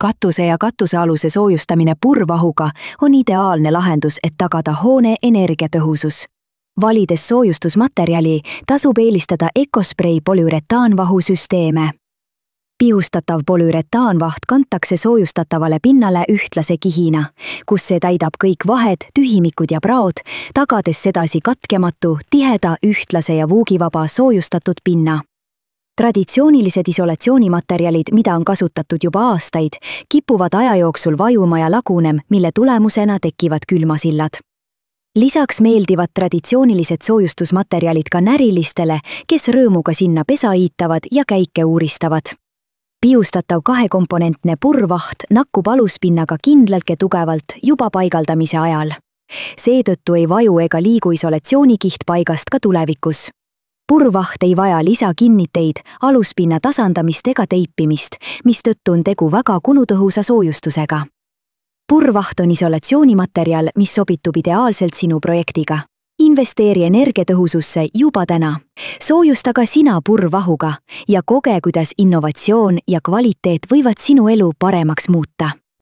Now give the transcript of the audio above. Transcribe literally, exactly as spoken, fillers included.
katuse ja katusealuse soojustamine purvahuga on ideaalne lahendus, et tagada hoone energiatõhusus. Valides soojustusmaterjali tasub eelistada EcoSpray polüüretaanvahu süsteeme. Pihustatav polüüretaanvaht kantakse soojustatavale pinnale ühtlase kihina, kus see täidab kõik vahed, tühimikud ja praod, tagades sedasi katkematu, tiheda, ühtlase ja vuugivaba soojustatud pinna. Traditsioonilised isolatsioonimaterjalid, mida on kasutatud juba aastaid, kipuvad aja jooksul vajuma ja lagunem, mille tulemusena tekivad külmasillad. Lisaks meeldivad traditsioonilised soojustusmaterjalid ka närilistele, kes rõõmuga sinna pesa iitavad ja käike uuristavad. Pihustatav kahekomponentne purvaht nakkub aluspinnaga kindlalt ja tugevalt juba paigaldamise ajal. Seetõttu ei vaju ega liigu isolatsioonikiht paigast ka tulevikus. Purvaht ei vaja lisakinniteid, aluspinna tasandamist ega teipimist, mistõttu on tegu väga kulutõhusa soojustusega. Purvaht on isolatsioonimaterjal, mis sobitub ideaalselt sinu projektiga. Investeeri energiatõhususse juba täna. Soojusta ka sina purvahuga ja koge, kuidas innovatsioon ja kvaliteet võivad sinu elu paremaks muuta.